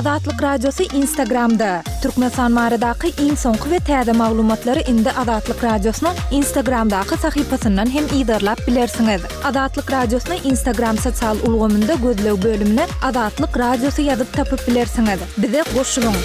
Azatlyk Radiosy Instagramda! Türkmenistan baradaky iň soňky we täze maglumatlary indi Azatlyk Radiosynyň Instagramdaky sahypasyndan hem yzarlap bilersiňiz. Azatlyk Radiosyny Instagram sosial ulgamynda gözleg bölümine Azatlyk Radiosy ýazyp tapyp bilersiňiz. Bize goşulyň!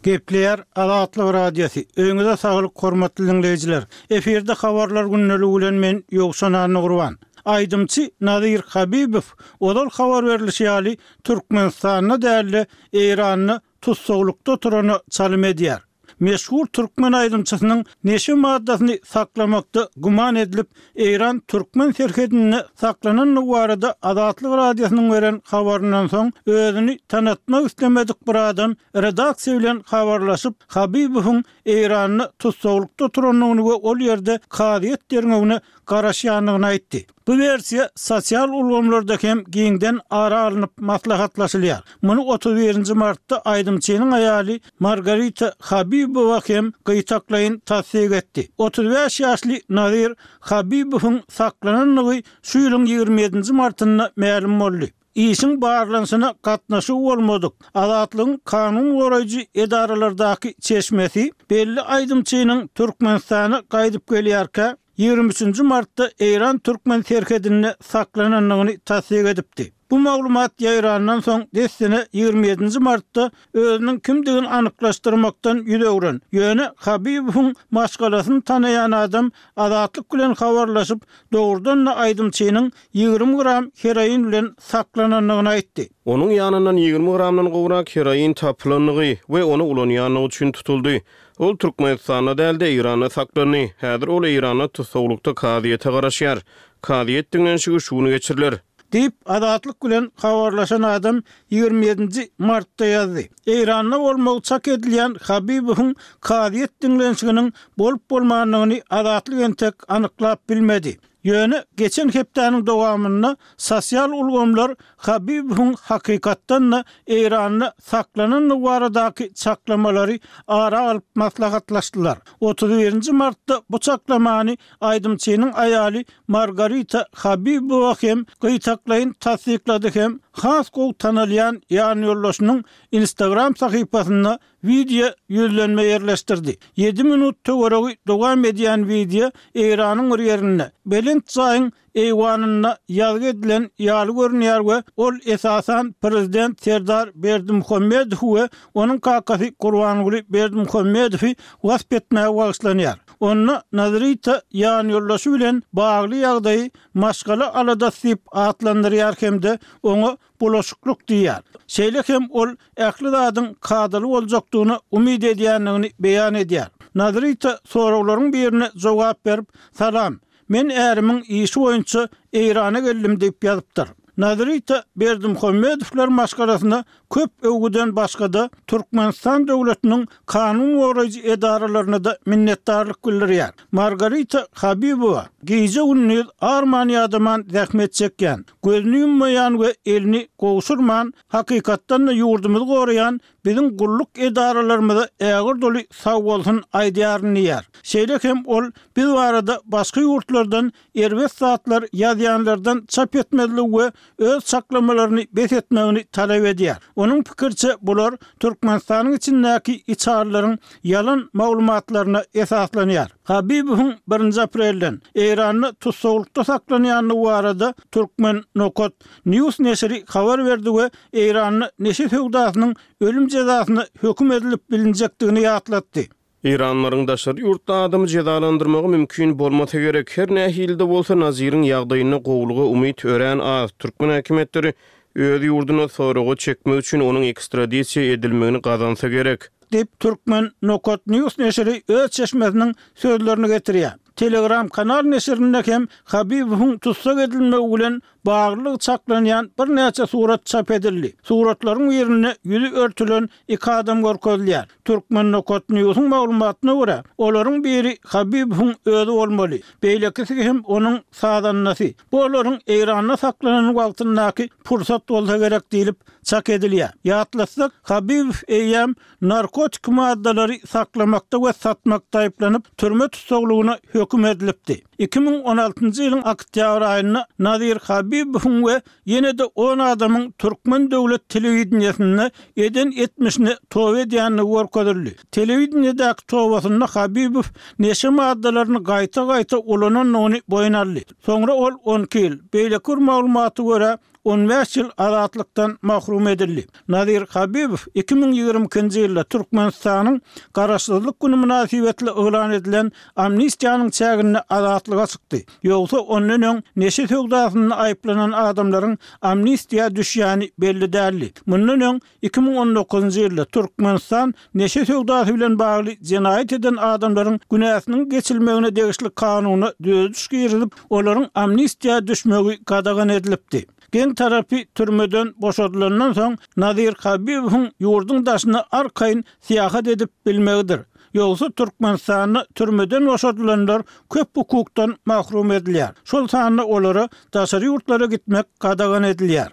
Gepleýär Azatlyk Radiosy, Öýüňize saglyk hormatly diňleýjiler! Efirde habarlar gündeligi bilen men Ýowşan Annagurban. Aýdymçy Nazir Habibow ozal habar berlişi ýaly Türkmenistanda däl-de Eýranda tussaglykda oturana çalym edýär. Meşhur türkmen aýdymçysynyň neşe maddasyny saklamakda güman edilip, Eýran-türkmen serhedinde saklanandygy barada Azatlyk Radiosynyň beren habaryndan soň, özüni tanatmak islemedik bir adam redaksiýa bilen habarlaşyp, Habibowyň Eýranda tussaglykda oturandygyny we ol ýerde kazyýet derňewine garaşýandygyny aýtdy. Bu wersiýa sosial ulgamlarda hem giňden ara alnyp maslahatlaşylýar. Muny 31 nji martda aýdymçynyň aýaly Margarita Habibowa hem gytaklaýyn tassyk etdi. 35 ýaşly Nazir Habibowyň saklanandygy şu ýylyň 27 nji martynda mälim boldy. Işiň barlanyşyna gatnaşygy bolmadyk Azatlygyň kanun goraýjy edaralardaky çeşmesi belli aýdymçynyň Türkmenistana gaýdyp gelýärkä, 23 nji martda Eýran-türkmen serhedinde saklanandygyny tassyk edipdi. Bu maglumat ýaýrandan soň, dessine 27 nji martda özüniň kimdigini anyklaşdyrmakdan ýüz öwren, ýöne Habibowyň maşgalasyny tanaýan adam Azatlyk bilen habarlaşyp, dogrudan-da aýdymçynyň 20 gram heroin bilen saklanandygyny aýtdy. Onuň ýanyndan 20 gramdan gowrak heroin tapylandygy we ony ulanýandygy üçin tutuldy. Ol Türkmenistanda däl-de, Eýranda saklandy. Häzir ol Eýranda tussaglykda kazyýete garaşýar. Kazyýet diňlenişigi şu gün geçiriler. Diýip, Azatlyk bilen habarlaşan adam 27 nji martda ýazdy. Eýranda bolmagy çak edilýän Habibowyň kazyýet diňlenişiginiň bolup-bolmandygyny Azatlyk entek anyklap bilmedi. Ýöne geçen hepdäniň dowamynda sosial ulgamlar Habibowyň hakykatdan-da Eýranda saklanandygy baradaky çaklamalary ara alyp maslahatlaşdylar. 31 nji martda bu çaklamany aýdymçynyň aýaly Margarita Habibowa hem gytaklaýyn tassyklady hem has gowy tanalýan ýanýoldaşynyň Instagram sahypasynda Wideo ýüzlenme ýerleşdirdi. Ýedi minut töweregi dowam edýän wideo Eýranyň bir ýerinde, belent jaýyň eýwanynda ýazgy edilen ýaly görünýär we ol esasan prezident Serdar Berdimuhamedowy we onuň kakasy Gurbanguly Berdimuhamedowy wasp etmäge bagyşlanýar. Onda Nazrita ýanýoldaşy bilen bagly ýagdaýy maşgala aladasy diýip atlandyrýar hem-de oňa bulaşyklyk diýýär. Şeýle hem ol ähli zadyň kadaly boljakdygyna umyt edýändigini beýan edýär. Nazrita soraglaryň birine jogap berip, Salam, men ärimiň işi boýunça Eýrana geldim diýip ýazypdyr. Nazrita Berdimuhamedowlar maşgalasyna köp öwgüden başga-da, Türkmenistan döwletiniň kanun goraýjy edaralaryna-da minnetdarlyk bildirýär. Margarita Habibowa gije-gündiz arman-ýadaman zähmet çekýän, gözüni ýummaýan we elini gowşurman, hakykatdan-da ýurdumyzy goraýan biziň gulluk edaralarymyza ägirt uly sagbolsun aýdýaryn diýýär. Şeýle hem ol biz barada başga ýurtlardan erbet zatlar ýazýanlardan çap etmezligi we öz çaklamalaryny bes etmegini talap edýär. Onuň pikiriçe, bular Türkmenistanyň içindäki içalylaryň ýalan maglumatlaryna esaslanýar. Habibowyň birinji aprelden Eýranda tussaglykda saklanýandygy barada Turkmen. Nokat. News neşiri habar berdi we Eýranda neşe söwdasynyň ölüm jezasyna höküm edilip bilinjekdigini ýatlatdy. Eýranlylaryň daşary ýurtda adamy jezalandyrmagy mümkin bolmasa gerek. Her nähili-de bolsa, Naziriň ýagdaýynda gowulyga umyt örän az. Türkmen häkimiýetleri öz ýurduna soraga çekmek üçin onuň ekstradisiýa edilmegini gazansa gerek. Diýip, Turkmen. Nokat News neşiri öz çeşmesiniň sözlerini getirýär. Telegram kanal neşirinde hem Habibowyň tussag edilmegi bilen baglylygy çaklanýan birnäçe surat çap edildi. Suratlaryň birinde ýüzi örtülen iki adam görkezilýär. Turkmen. Newsiň maglumatyna görä, olaryň biri Habibowyň özi bolmaly, beýlekisi hem onuň sazandasy. Bu olaryň Eýranda saklanan wagtyndaky pursat bolsa gerek diýlip çak edilýär. Ýatlatsak, Habibow eýýäm narkotik maddalary saklamakda we satmakda aýyplanyp, türme tussaglygyna höküm. höküm edilipdi. 2016-njy ýylyň oktýabr aýynda Nazir Habibowyň we ýene-de on adamyň türkmen döwlet telewideniýesinde eden etmişine toba edýändigi görkezildi. Telewideniýedäki tobasynda Habibow neşe maddalaryny gaýta-gaýta ulanandygyny boýun aldy. Soňra ol 12 ýyl, beýleki bir maglumata görä, 15 ýyl azatlykdan mahrum edildi. Nazir Habibow 2022-nji ýylda Türkmenistanyň Garaşsyzlyk güni mynasybetli yglan edilen amnistiýanyň çäginde azatlyga çykdy. Ýogsa ondan öň neşe söwdasynda aýyplanan adamlaryň amnistiýa düşýäni belli däldi. Mundan öň 2019-njy ýylda Türkmenistan neşe söwdasy bilen bagly jenaýat eden adamlaryň günäsiniň geçilmegine degişli kanuna düzediş girizip, olaryň amnistiýa düşmegi gadagan edilipdi. Geň tarapy, türmeden boşadylandan soň Nazir Habibowyň ýurduň daşyna arkaýyn syýahat edip bilmegidir. Ýogsa Türkmenistanda türmeden boşadylanlar köp hukukdan mahrum edilýär. Şol sanda olara daşary ýurtlara gitmek gadagan edilýär.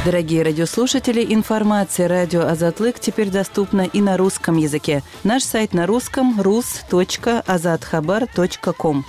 Дорогие радиослушатели, информация радио Азатлык теперь доступна и на русском языке. Наш сайт на русском rus.azathabar.com.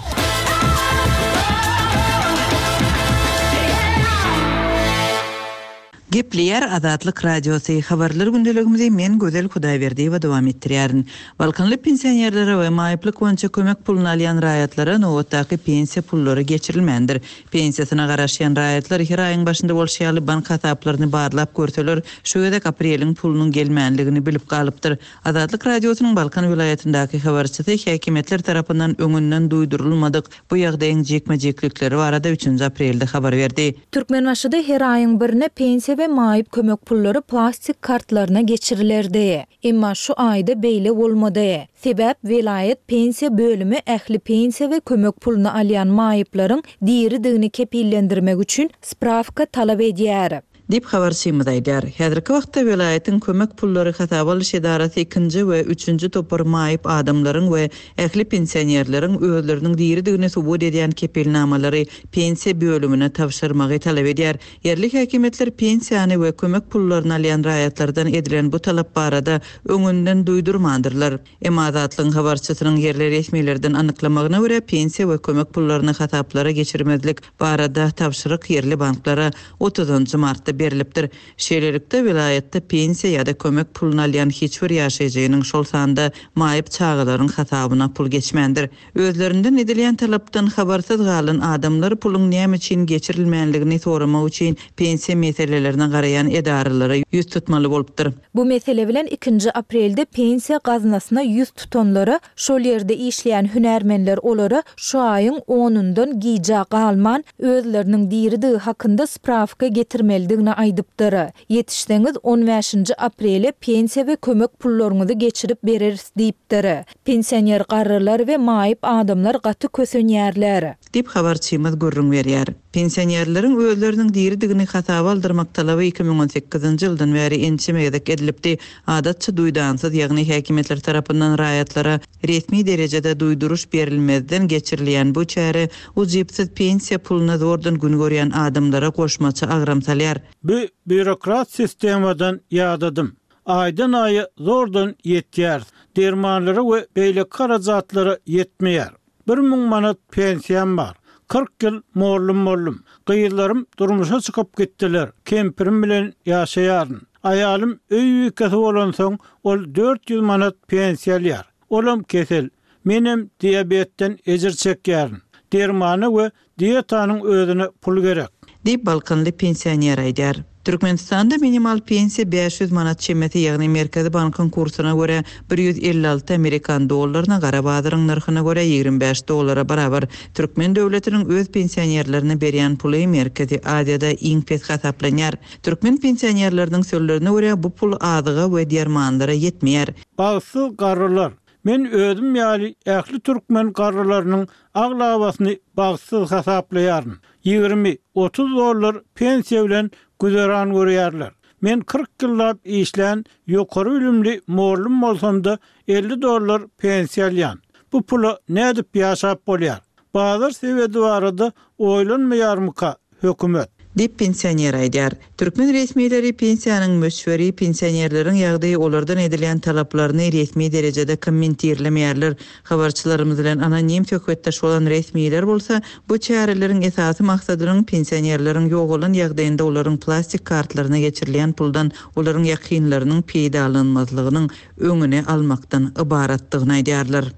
Gepleýär Azatlyk Radiosy, Habarlar gündeligimizi men Gözel Hudaýberdiýewa dowam etdirýärin. Balkanly pensionerlere we maýyplyk boýunça kömek puluny alýan raýatlara nobatdaky pensiýa pullary geçirilmändir. Pensiýasyna garaşýan raýatlar her aýyň başynda bolşy ýaly bank hasaplaryny barlap görseler, şu gezek apreliň pulunyň gelmänligini bilip galypdyr. Azatlyk Radiosynyň Balkan welaýatyndaky habarçysy häkimiýetler tarapyndan öňünden duýdurylmadyk bu ýagdaýyň jikme-jiklikleri barada üçünji aprelde habar berdi. Türkmenbaşyda her aýyň birine pensiýa we maýyp kömek pullary plastik kartlaryna geçirilerdi. Emma şu aýda beýle bolmady. Sebäp welaýat pensiýa bölümi ähli pensiýa we kömek puluny alýan maýyplaryň diridigini kepillendirmek üçin sprawka talap edýär. Diýip, habarçymyz aýdýar. Häzirki wagtda welaýatyň kömek pullary hasaba alyş edarasy ikinji we üçünji topar maýyp adamlaryň we ähli pensionerleriň özleriniň diridigini subut edýän kepilnamalary pensiýa bölümine tabşyrmagy talap edýär. Ýerli häkimiýetler pensiýany we kömek pullaryny alýan raýatlardan edilen bu talap barada öňünden duýdurmandyrlar. Emma Azatlygyň habarçysynyň ýerli resmilerden anyklamagyna görä, pensiýa we kömek pullaryny hasaplara geçirmezlik barada tabşyryk ýerli banklara otuzynjy martda berlipdir. Şeýlelikde, welaýatda pensiýa ýa-da kömek puluny alýan hiç bir ýaşaýjynyň, şol sanda maýyp çagalaryň hasabyna pul geçmändir. Özlerinden edilýän talapdan habarsyz galan adamlar puluň näme üçin geçirilmänligini soramak üçin pensiýa meselelerine garaýan edaralara ýüz tutmaly bolupdyr. Bu mesele bilen ikinji aprelde pensiýa gaznasyna ýüz tutanlara şol ýerde işleýän hünärmenler olara şu aýyň onundan gijä galman özleriniň diridigi hakynda sprawka getirmelidigini aýdypdyr. Ýetişseňiz on bäşinji aprele pensiýa we kömek pullaryňyzy geçirip bereris diýipdir. Pensioner garrylar we maýyp adamlar gaty kösenýärler. Diýip, habarçymyz gürrüň berýär. Pensionerleriň özleriniň diridigini hasaba aldyrmak talaby 2018-nji ýyldan bäri ençeme gezek edilipdi. Adatça duýdansyz, ýagny häkimiýetler tarapyndan raýatlara resmi derejede duýduryş berilmezden geçirilýän bu çäre ujypsyz pensiýa puluna zordan gün görýän adamlara goşmaça agram salýar. Bu býurokrat sistemadan ýadadym. Aýdan-aýa zordan ýetýäris. Dermanlara we beýleki harajatlara ýetmeýär. 1000 manat pensiýam bar. 40 ýyl mollum boldum. Gyzlarym durmuşa çykyp gitdiler. Kempirim bilen ýaşaýaryn. Aýalym öý bikesi bolansoň, ol 400 manat pensiýa alýar. Olam kesel. Menem diabetden ejir çekýärin. Dermana we Dietanyň özüne pul gerek. Diýip, balkanly pensioner aýdýar. Türkmenistanda minimal pensiýa 500 manat çemesi, ýagny Merkezi bankyň kursuna görä 156 amerikan dollaryna, gara bazaryň nyrhyna görä 25 dollara barabar. Türkmen döwletiniň öz pensionerlerine berýän puly Merkezi Aziýada iň pes hasaplanýar. Türkmen pensionerleriniň sözlerine görä, bu pul azyga we dermanlara ýetmeýär. Bagtsyz garrylar, Men özüm ýaly ähli türkmen garrylarynyň aglabasyny bagtsyz hasaplaýaryn. 20, 30 dollar pensiýa bilen güzeran görýärler. Men 40 ýyllap işlän ýokary bilimli mollum bolsam-da 50 dollar pensiýa alýan. Bu pula nädip ýaşap bolýar? Bazar sebedi barada oýlanmaýarmyka hökümet? Diýip, pensioner aýdýar. Türkmen resmileri pensiýanyň möçberi, pensionerleriň ýagdaýy olardan edilýän talaplaryny resmi derejede kommentirlemeýärler. Habarçylarymyz bilen anonim söhbetdeş bolan resmiler bolsa, bu çäreleriň esasy maksadynyň pensionerleriň ýogalan ýagdaýynda olaryň plastik kartlaryna geçirilýän puldan olaryň ýakynlarynyň peýdalanmazlygynyň öňüni almakdan ybaratdygyny aýdýarlar.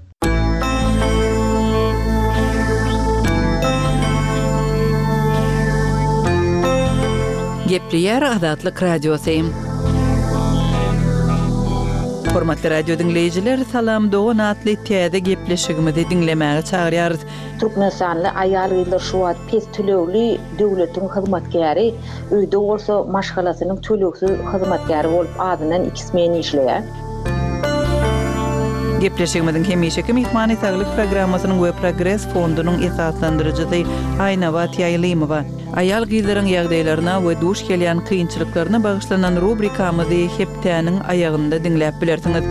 Gepleýär Azatlyk Radiosy. Hormatly radio diňleýjiler, Salam dogan atly täze gepleşigimizi diňlemäge çagyrýarys. Türkmenistanly aýal-gyzlar şu wagt pes tölegli döwletiň hyzmatkäri, öýde bolsa maşgalasynyň tölegsiz hyzmatkäri bolup azyndan iki smen işleýär. Gepleşigimiziň hemişeki myhmany Saglyk programmasynyň we Progres fondunyň esaslandyryjysy Aýnabat Ýaýlymowa. Aýal-gyzlaryň ýagdaýlaryna we duş gelýän kynçylyklaryna bagyşlanan rubrikamyzy hepdäniň aýagynda diňläp bilersiňiz.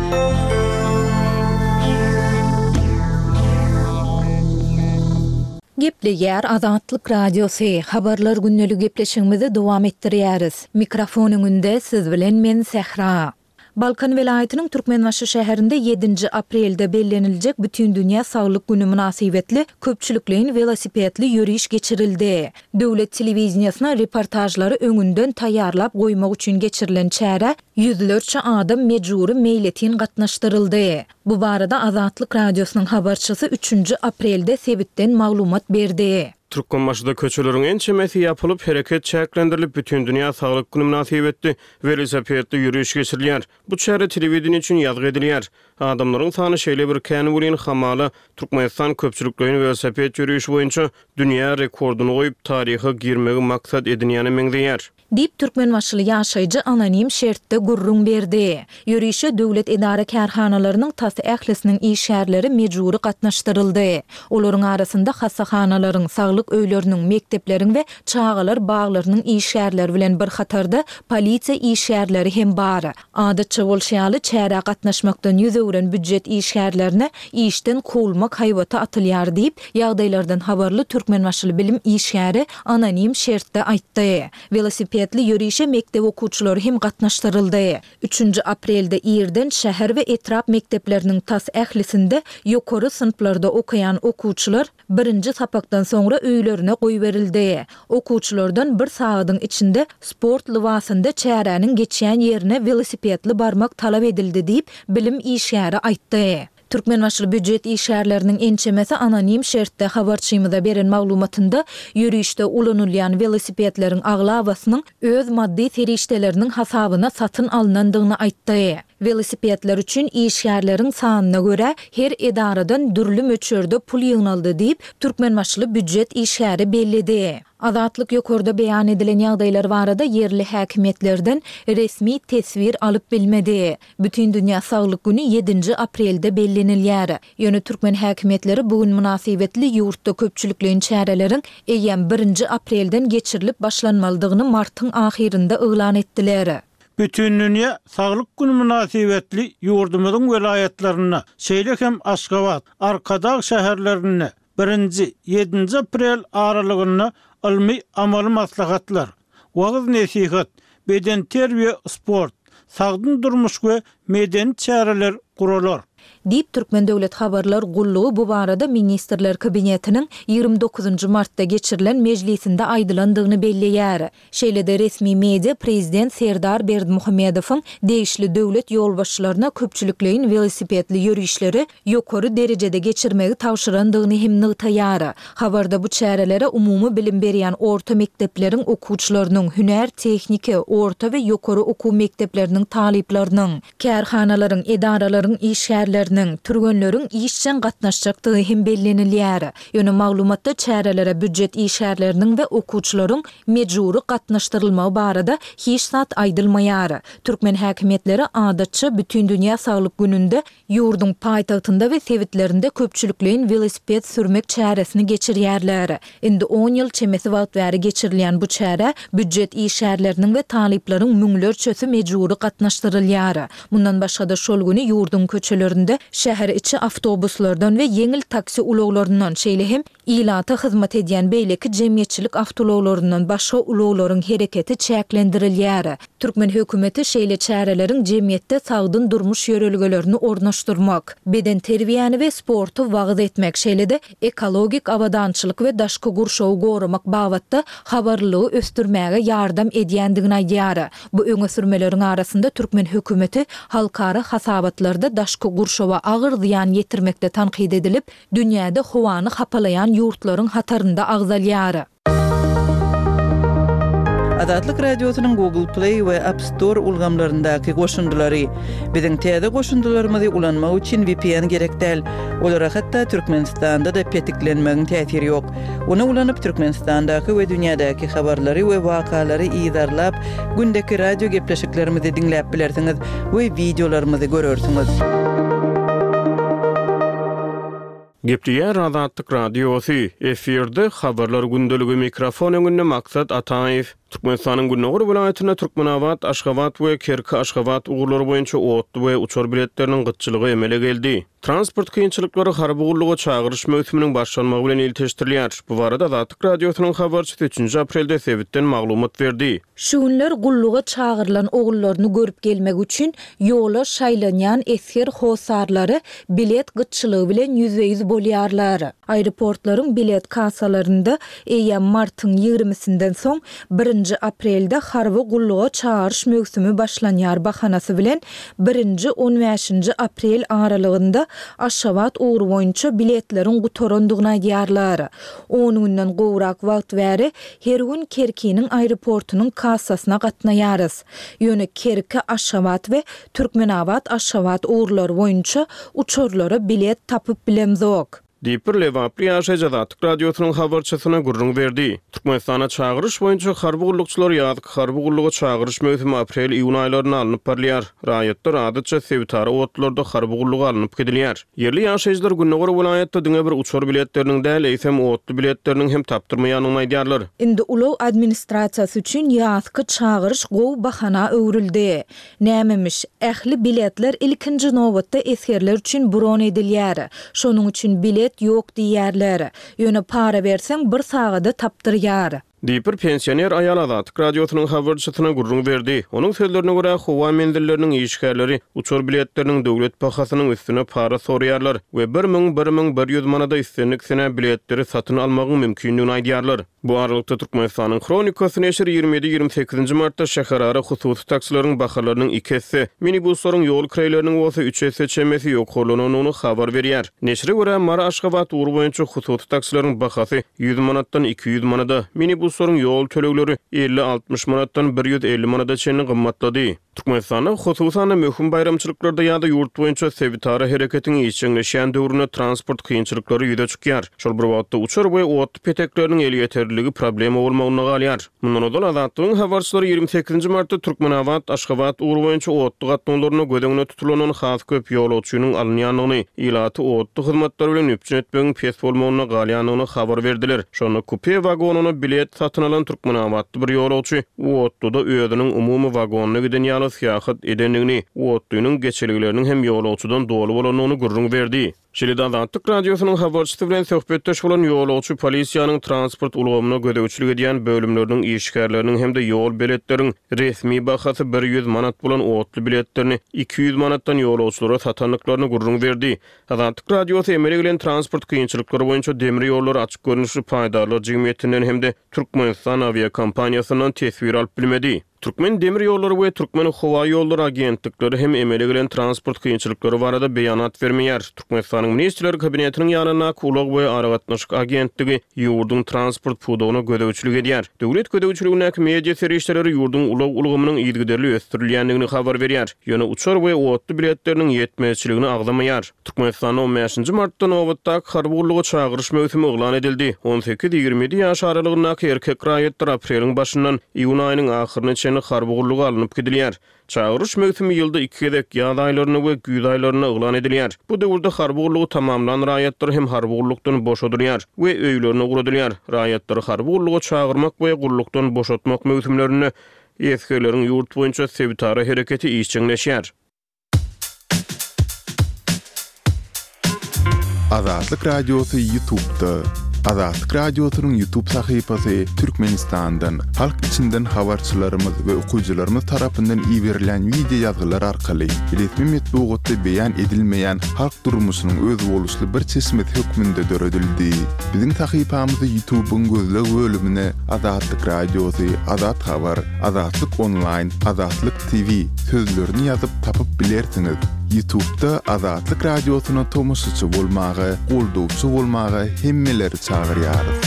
Gepleýär Azatlyk Radiosy, Habarlar gündelik gepleşigimizi dowam etdirýäris. Mikrofon öňünde siz bilen men Sähra. Balkan welaýatynyň Türkmenbaşy şäherinde ýedinji aprelde belleniljek Bütindünýä saglyk güni mynasybetli köpçülikleýin welosipedli ýöriş geçirildi. Döwlet telewideniýesine reportažlary öňünden taýýarlap goýmak üçin geçirilen çärä ýüzlerçe adam mejbury meýletin gatnaşdyryldy. Bu barada Azatlyk Radiosynyň habarçysy üçünji aprelde sebitden maglumat berdi. Türkmenbaşyda köçeleriň ençemesi ýapylyp, hereket çäklendirilip, Bütindünýä saglyk güni mynasybetli welosipedli ýöriş geçirilýär. Bu çäre telewideniýe üçin ýazgy edilýär. Adamlaryň sany şeýle bir kän welin, hamala, Türkmenistan köpçülikleýin welosiped ýörişi boýunça dünýä rekordyny goýup, taryha girmegi maksat edinýäne meňzeýär. Diýip, türkmenbaşyly ýaşaýjy anonim şertde gürrüň berdi. Ýörişe döwlet edara-kärhanalarynyň tas ählisiniň işgärleri mejbury gatnaşdyryldy. Olaryň arasynda hassahanalaryň, saglyk öýleriniň, mekdepleriň we çagalar baglarynyň işgärleri bilen bir hatarda polisiýa işgärleri hem bar. Adatça bolşy ýaly, çärä gatnaşmakdan ýüz öwren býujet işgärlerine işden kowulmak haýbaty atylýar diýip, ýagdaýlardan habarly türkmenbaşyly bilim işgäri anonim şertde aýtdy. Welosipedli ýörişe mekdep okuwçylary hem gatnaşdyryldy. Üçünji aprelde irden şäher we etrap mekdepleriniň tas ählisinde ýokary synplarda okaýan okuwçylar birinji sapakdan soňra öýlerine goýberildi. Okuwçylardan bir sagadyň içinde sport lybasynda çäräniň geçýän ýerine welosipedli barmak talap edildi diýip, bilim işgäri aýtdy. Türkmenbaşyly býujet işgärleriniň ençemesi anonim şertde habarçymyza beren maglumatynda ýörişde ulanylýan welosipedleriň aglabasynyň öz maddy serişdeleriniň hasabyna satyn alnandygyny aýtdy. Welosipedler üçin işgärleriň sanyna görä, her edaradan dürli möçberde pul ýygnaldy diýip, türkmenbaşyly býujet işgäri belledi. Azatlyk ýokarda beýan edilen ýagdaýlar barada ýerli häkimiýetlerden resmi teswir alyp bilmedi. Bütindünýä saglyk güni ýedinji aprelde bellenilýär. Ýöne türkmen häkimiýetleri bu gün mynasybetli ýurtda köpçülikleýin çäreleriň eýýäm birinji aprelden geçirilip başlanmalydygyny martyň ahyrynda yglan etdiler. Bütindünýä saglyk güni mynasybetli ýurdumyzyň welaýatlarynda, şeýle hem Aşgabat, Arkadag şäherlerinde birinji, ýedinji aprel aralygynda ylmy-amaly maslahatlar, wagyz-nesihat, bedenterbiýe-sport, sagdyn durmuş we medeni çäreler guralar. Diýip, Türkmen döwlet habarlar gullugy bu barada Ministrler Kabinetiniň 29 nji martda geçirilen mejlisinde aýdylandygyny belleýär. Şeýle-de resmi media prezident Serdar Berdimuhamedowyň degişli döwlet ýolbaşçylaryna köpçülikleýin welosipedli ýörişleri ýokary derejede geçirmegi tabşyrandygyny hem nygtaýar. Habarda bu çärelere umumy bilim berýän orta mekdepleriň okuwçylarynyň, hünär-tehniki, orta we ýokary okuw mekdepleriniň talyplarynyň, kärhanalaryň, edaralaryň işgärleriniň, türgenleriň işjeň gatnaşjakdygy hem bellenilýär. Ýöne maglumatda çärelere býujet işgärleriniň we okuwçylaryň mejbury gatnaşdyrylmagy barada hiç zat aýdylmaýar. Türkmen häkimiýetleri adatça Bütindünýä saglyk gününde ýurduň paýtagtynda we sebitlerinde köpçülikleýin welosiped sürmek çäresini geçirýärler. Indi on ýyl çemesi wagt bäri geçirilýän bu çärä býujet işgärleriniň we talyplaryň müňlerçesi mejbury gatnaşdyrylýar. Mundan başga-da şol güni ýurduň köçelerinde. Şäher içi awtobuslardan we ýeňil taksi ulaglaryndan, şeýle hem ilata hyzmat edýän beýleki jemgyýetçilik awtoulaglaryndan başga ulaglaryň hereketi çäklendirilýär. Türkmen hökümeti şeýle çäreleriň jemgyýetde sagdyn durmuş ýörelgelerini ornaşdyrmak, bedenterbiýäni we sporty wagyz etmek, şeýle-de ekologik abadançylyk we daşky gurşawy goramak babatda habarlylygy ösdürmäge ýardam edýändigini aýdýar. Bu öňe sürmeleriň arasynda türkmen hökümeti halkara hasabatlarda daşky gurşawa agyr zyýan ýetirmekde tankyt edilip, dünýäde howany hapalaýan ýurtlaryň hatarynda agzalýar. Azatlyk Radiosynyň Google Play we App Store ulgamlaryndaky goşundylary. Biziň täze goşundylarymyzy ulanmak üçin vpn gerek däl. Olara hatda Türkmenistanda-da petiklenmegiň täsiri ýok. Ony ulanyp, Türkmenistandaky we dünýädäki habarlary we wakalary yzarlap, gündeki radio gepleşiklerimizi diňläp bilersiňiz we wideolarymyzy görersiňiz. Gepleýär Azatlyk Radiosy, efirde Habarlar gündeligi mikrofon öňünde Maksat Ataýew. Türkmenistanyň gündogar welaýatynda Türkmenabat, Aşgabat we Kerki, Aşgabat ugurlary boýunça otly we uçar biletleriniň gytçylygy emele geldi. Transport kynçylyklary harby gulluga çagyryş möwsüminiň başlanmagy bilen ilteşdirilýär. Bu barada Azatlyk Radiosynyň habarçysy üçünji aprelde sebitden maglumat berdi. Şu günler gulluga çagyrylan ogullaryny görüp gelmek üçin ýola şaýlanýan esger hossarlary bilet gytçylygy bilen ýüzbe-ýüz bolýarlar. Aeroportlaryň bilet kassalarynda eýýäm martyň ýigrimisinden soň birinji aprelde harby gulluga çagyryş möwsümi başlanýar bahanasy bilen birinji, on bäşinji aprel aralygynda Aşgabat ugry boýunça biletleriň gutarandygyny aýdýarlar. On günden gowrak wagt bäri her gün Kerkiniň aeroportunyň kassasyna gatnaýarys. Ýöne Kerki, Aşgabat we Türkmenabat, Aşgabat ugurlary boýunça uçarlara bilet tapyp bilemzok. Diýip, bir lebaply ýaşaýjy Azatlyk Radiosynyň habarçysyna gürrüň berdi. Türkmenistanda çagyryş boýunça harby gullukçylar ýazky harby gulluga çagyryş möwsümi aprel-iýun aýlarynda alnyp barylýar. Raýatlar adatça sebitara otlularda harby gulluga alnyp gidilýär. Ýerli ýaşaýjylar gündogar welaýatda diňe bir uçar biletleriniň däl, eýsem, otly biletleriniň hem tapdyrmaýandygyny aýdýarlar. Indi ulag administrasiýasy üçin ýazky çagyryş gowy bahana öwrüldi. Nämemiş, ähli biletler ilkinji nobatda esgerler üçin bron edilýär. Şonuň üçin bilet ýok diýýärler. Ýöne para berseň bir sagada tapdyrýar. Diýip, bir pensioner aýal Azatlyk Radiosynyň habarçysyna gürrüň berdi. Onuň sözlerine görä, howa menzilleriniň işgärleri uçar biletleriniň döwlet bahasynyň üstüne para soraýarlar we 1000, 1100 manada islendik senä biletleri satyn almagyň mümkindigini aýdýarlar. Bu aralykda, Türkmenistanyň Hronikasy neşiri 27, 28 martda şäherara hususy taksileriň bahalarynyň iki esse, minibuslaryň ýol kireýleriniň bolsa üç esse çemesi ýokarlanandygyny habar berýär. Neşire görä, Mary-Aşgabat ugry boýunça hususy taksileriň bahasy 100 manatdan 200 manada, minibuslaryň ýol tölegleri 50-60 manatdan 150 manada çenli gymmatlady. Türkmenistanda, hususan-da, möhüm baýramçylyklarda ýa-da ýurt boýunça sebitara hereketiň işjeňleşýän döwründe transport kynçylyklary ýüze çykýar. Şol bir wagtda, uçar we otly petekleriniň elýeterliligi problema bolmagynda galýar. Mundan ozal, Azatlygyň habarçylary 28 martda Türkmenabat, Aşgabat ugry boýunça otly gatnawlarynda göz öňünde tutulandan has köp ýolagçynyň alynýandygyny, ilaty otly hyzmatlary bilen üpjün etmegiň pes bolmagynda galýandygyny habar berdiler. Şonda kupe wagonyna bilet satyn alan türkmenabatly bir ýolagçy otluda özüniň umumy wagonyna giden ýaly syýahat edendigini, otlynyň geçelgeleriniň hem ýolagçydan doly bolandygyny gürrüň berdi. Şeýle-de Azatlyk Radiosynyň habarçysy bilen söhbetdeş bolan ýolagçy polisiýanyň transport ulgamyna gözegçilik edýän bölümleriniň işgärleriniň hem-de ýol beletleriň resmi bahasy 100 manat bolan otly biletlerini 200 manatdan ýolagçylara satandyklaryny gürrüň berdi. Azatlyk Radiosy emele gelen transport kynçylyklary boýunça Demir ýollary açyk görnüşli paýdarlar jemgyýetinden hem-de Türkmenistan awiakompaniýasyndan teswir alyp bilmedi. Türkmen demir ýollary we Türkmen howa ýollary agentlikleri hem emele gelen transport kynçylyklary barada beýanat bermeýär. Türkmenistanyň Ministrler Kabinetiniň ýanyndaky Ulag we aragatnaşyk agentligi ýurduň transport pudagyna gözegçilik edýär. Döwlet gözegçiligindäki media serişdeleri ýurduň ulag ulgamynyň yzygiderli ösdürilýändigini habar berýär. Ýöne uçar we otly biletleriniň ýetmezçiligini agzamaýar. Türkmenistanda on bäşinji martda nobatdaky harby gulluga çagyryş möwsümi yglan edildi. On sekiz, 27 ýaş aralygyndaky erkek raýatlar apreliň başyndan iýun aýynyň ahyryna çenli harby gulluga alnyp gidilýär. Çagyryş möwsümi ýylda iki gezek, ýaz aýlarynda we güýz aýlarynda yglan edilýär. Bu döwürde harby gullugy tamamlan raýatlar hem harby gullukdan boşadylýar we öýlerine ugradylýar. Raýatlary harby gulluga çagyrmak we gullukdan boşatmak möwsümlerinde esgerleriň ýurt boýunça sebitara hereketi işjeňleşýär. Azatlyk Radiosy Ýutubda. Azatlyk Radiosynyň Ýutub sahypasy Türkmenistandan, halk içinden habarçylarymyz we okyjylarymyz tarapyndan iberilen wideo ýazgylar arkaly resmi metbugatda beýan edilmeýän halk durmuşynyň özboluşly bir çeşmesi hökmünde döredildi. Biziň sahypamyzy Ýutubyň gözleg bölümine Azatlyk Radiosy, Azat Habar, Azatlyk Onlaýn, Azatlyk TV sözlerini ýazyp tapyp bilersiňiz. Ýutubda Azatlyk Radiosyna tomaşaçy bolmaga, goldawçy bolmaga hemmeleri çagyrýarys.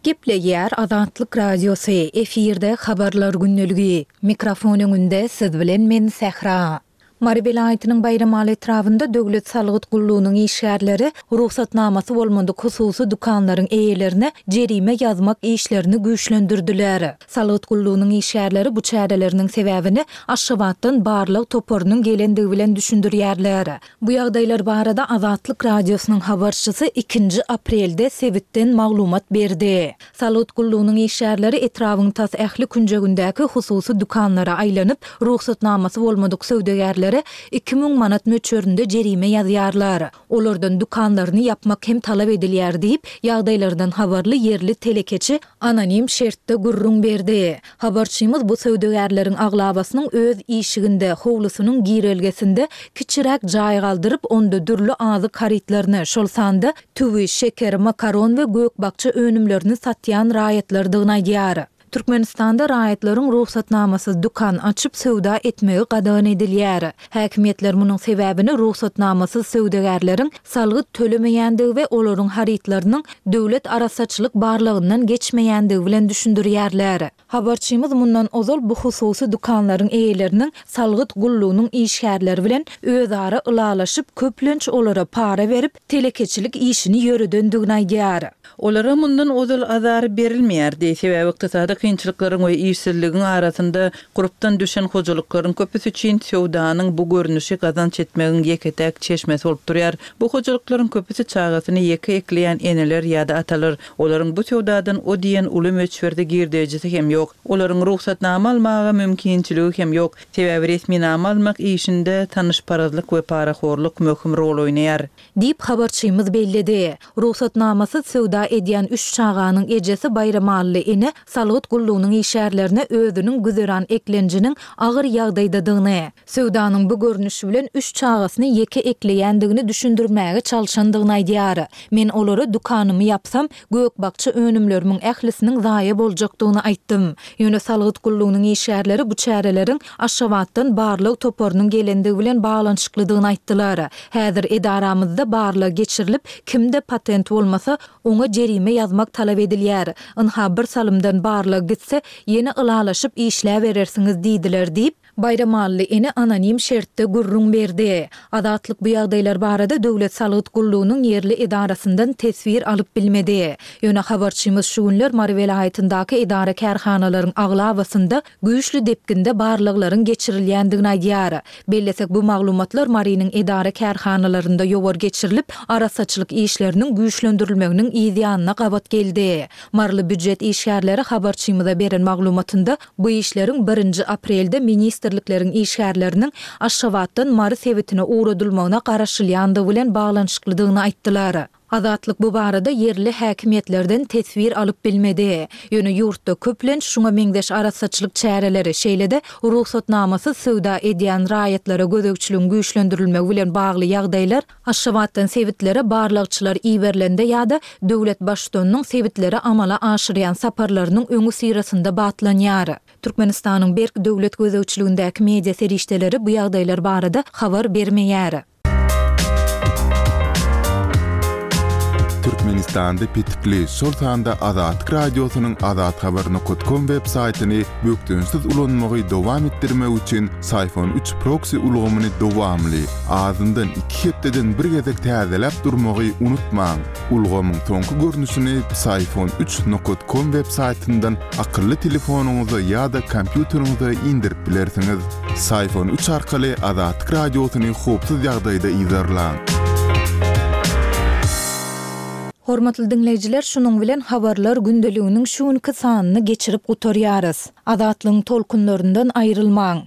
Gepleýär Azatlyk Radiosy, efirde Habarlar gündeligi. Mikrofon öňünde siz bilen men Sähra. Mary welaýatynyň Baýramaly etrabynda döwlet salgyt gullugynyň işgärleri rugsatnamasy bolmadyk hususy dükanlaryň eýelerine jerime ýazmak işlerini güýçlendirdiler. Salgyt gullugynyň işgärleri bu çäreleriniň sebäbini Aşgabatdan barlag toparynyň gelendigi bilen düşündirýärler. Bu ýagdaýlar barada Azatlyk Radiosynyň habarçysy ikinji aprelde sebitden maglumat berdi. Salgyt gullugynyň işgärleri etrabyň tas ähli künjegindäki hususy dükanlara aýlanyp, rugsatnamasy bolmadyk söwdagärlere 2000 manat möçberinde jerime ýazýarlar. Olardan dükanlaryny ýapmak hem talap edilýär diýip, ýagdaýlardan habarly ýerli telekeçi anonim şertde gürrüň berdi. Habarçymyz bu söwdagärleriň aglabasynyň öz işiginde, howlusynyň girelgesinde kiçiräk jaý galdyryp, onda dürli azyk harytlaryny, şol sanda tüwi, şeker, makaron we gök-bakja önümlerini satýan raýatlardygyny aýdýar. Türkmenistanda raýatlaryň rugsatnamasyz dükan açyp söwda etmegi gadagan edilýär. Häkimiýetler munuň sebäbini rugsatnamasyz söwdagärleriň salgyt tölemeýändigi we olaryň harytlarynyň döwlet arassaçylyk barlagyndan geçmeýändigi bilen düşündirýärler. Habarçymyz mundan ozal bu hususy dükanlaryň eýeleriniň salgyt gullugynyň işgärleri bilen özara ylalaşyp, köplenç olara para berip, telekeçilik işini ýöredendigini aýdýar. Olara mundan ozal azar berilmeýärdi, sebäbi ykdysady kynçylyklaryň we işsizligiň arasynda gurpdan düşen hojalyklaryň köpüsi üçin söwdanyň bu görnüşi gazanç etmegiň ýeke-täk çeşmesi bolup durýar. Bu hojalyklaryň köpüsi çagasyny ýeke ekleýän eneler ýa-da atalar. Olaryň bu söwdadan o diýen uly möçberde girdejisi hem ýok. Olaryň rugsatnama almaga mümkinçiligi hem ýok. Sebäbi resminama almak işinde tanyşparazlyk we parahorluk möhüm rol oýnaýar. Diýip, habarçymyz belledi. Rugsatnamasyz söwda edýän üç çaganyň ejesi Baýramally ene salgyt gullugynyň işgärlerine özüniň güzeran eklenjiniň agyr ýagdaýdadygyny, söwdanyň bu görnüşi bilen üç çagasyny ýeke ekleýändigini düşündirmäge çalşandygyny aýdýar. Men olara dükanymy ýapsam, gök-bakja önümlerimiň ählisiniň zaýa boljakdygyny aýtdym. Ýöne salgyt gullugynyň işgärleri bu çäreleriň Aşgabatdan barlag toparynyň gelendigi bilen baglanyşyklydygyny aýtdylar. Häzir edaramyzda barlag geçirilip, kimde patent bolmasa, oňa jerime ýazmak talap edilýär. Ynha, bir salymdan barlag gitse, ýene ylalaşyp işläberersiňiz diýdiler diýip, Baýramally ene anonim şertde gürrüň berdi. Azatlyk bu ýagdaýlar barada Döwlet salgyt gullugynyň ýerli edarasyndan teswir alyp bilmedi. Ýöne habarçymyz şu günler Mary welaýatyndaky edara-kärhanalaryň aglabasynda güýçli depginde barlaglaryň geçirilýändigini aýdýar. Bellesek, bu maglumatlar Marynyň edara-kärhanalarynda ýowar geçirilip, arassaçylyk işleriniň güýçlendirilmeginiň yzýanyna gabat geldi. Maryly býujet işgärleri habarçymyza beren maglumatynda bu işleriň birinji aprelde ministrlikleriň işgärleriniň Aşgabatdan Mary sebitine ugradylmagyna garaşylýandygy bilen baglanyşyklydygyny aýtdylar. Azatlyk bu barada ýerli häkimiýetlerden teswir alyp bilmedi. Ýöne ýurtda köplenç şuňa meňzeş arassaçylyk çäreleri, şeýle-de rugsatnamasyz söwda edýän raýatlara gözegçiligiň güýçlendirilmegi bilen bagly ýagdaýlar Aşgabatdan sebitlere barlagçylar iberilende ýa-da döwlet Baştutanynyň sebitlere amala aşyrýan saparlarynyň öňüsyrasynda batlanýar. Türkmenistanyň berk döwlet gözegçiligindäki media serişdeleri bu ýagdaýlar barada habar bermeýär. Türkmenistanda petikli, şol sanda Azatlyk Radiosynyň azathabar nokat kom web saýtyny bökdençsiz ulanmagy dowam etdirmek üçin Syfon üç proksi ulgamyny dowamly, azyndan iki hepdeden bir gezek täzeläp durmagy unutmaň. Ulgamyň soňky görnüşini Psiphon üç nokat kom web saýtyndan akylly telefonyňyza ýa-da kompýuteriňize indirip bilersiňiz. Psiphon üç arkaly Azatlyk Radiosyny howpsuz ýagdaýda yzarlaň. Hormatly diňleýjiler, şunuň bilen Habarlar gündeliginiň şu günki sanyny geçirip gutarýarys. Azatlygyň tolkunlaryndan aýrylmaň!